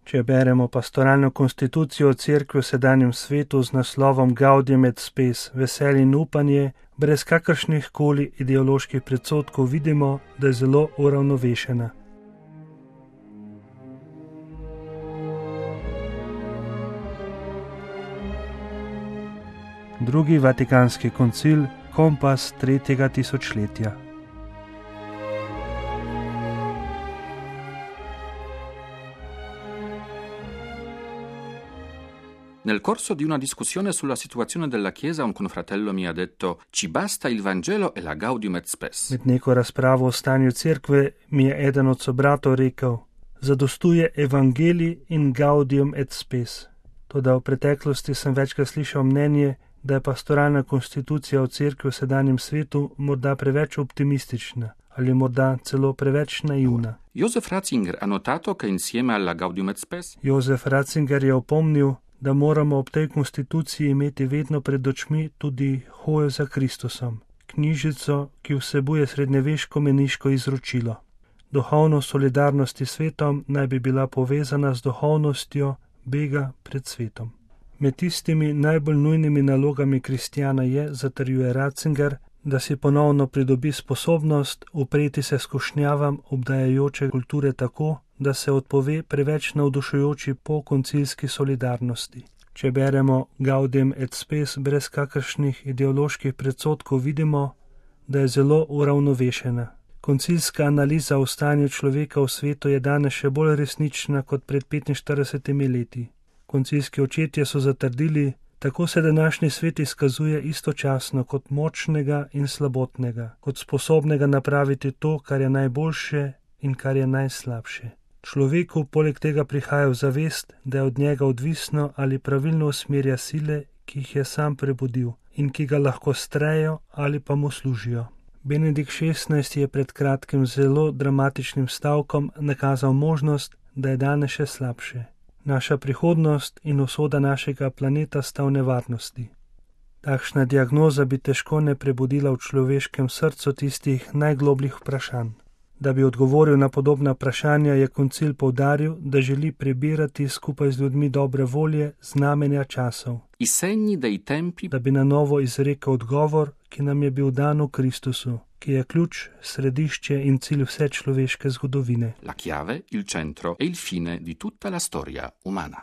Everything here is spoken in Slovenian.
Če beremo pastoralno konstitucijo Cerkve v sedanjem svetu z naslovom Gaudium et Spes, veselje in upanje, brez kakršnih koli ideoloških predsodkov vidimo, da je zelo uravnovešena. Drugi vatikanski koncil, kompas 3. tisočletja. Nel corso di una discussione sulla situazione della Chiesa, un confratello mi ha detto: ci basta il Vangelo e la Gaudium et Spes. Med neko razpravo o stanju cerkve mi je eden od sobratov rekel: zadostuje Evangelij in Gaudium et Spes. Toda v preteklosti sem večkrat slišal mnenje, da je pastoralna konstitucija v cerkvi v sedanjem svetu morda preveč optimistična ali morda celo preveč naivna. Josef Ratzinger ha notato che insieme alla Gaudium et Spes Josef Ratzinger je opomnil, da moramo ob tej konstituciji imeti vedno pred očmi tudi hojo za Kristusom, knjižico, ki vsebuje srednjeveško meniško izročilo. Duhovnost solidarnosti s svetom naj bi bila povezana z duhovnostjo bega pred svetom. Med tistimi najbolj nujnimi nalogami kristjana je, zatrjuje Ratzinger, da si ponovno pridobi sposobnost upreti se skušnjavam obdajajoče kulture tako, da se odpove preveč navdušujoči pokoncilski solidarnosti. Če beremo Gaudium et Spes brez kakršnih ideoloških predsodkov, vidimo, da je zelo uravnovešena. Koncilska analiza o stanju človeka v svetu je danes še bolj resnična kot pred 45 leti. Koncilski očetje so zatrdili, tako se današnji svet izkazuje istočasno kot močnega in slabotnega, kot sposobnega napraviti to, kar je najboljše in kar je najslabše. Človeku poleg tega prihaja v zavest, da je od njega odvisno ali pravilno usmerja sile, ki jih je sam prebudil in ki ga lahko strejo ali pa mu služijo. Benedikt XVI je pred kratkim zelo dramatičnim stavkom nakazal možnost, da je danes še slabše. Naša prihodnost in usoda našega planeta sta v nevarnosti. Takšna diagnoza bi težko ne prebudila v človeškem srcu tistih najglobljih vprašanj. Da bi odgovoril na podobna vprašanja, je koncil poudaril, da želi prebirati skupaj z ljudmi dobre volje znamenja časov, da bi na novo izrekel odgovor, ki nam je bil dan v Kristusu, ki je ključ, središče in cilj vse človeške zgodovine. La chiave, il centro e il fine di tutta la storia umana.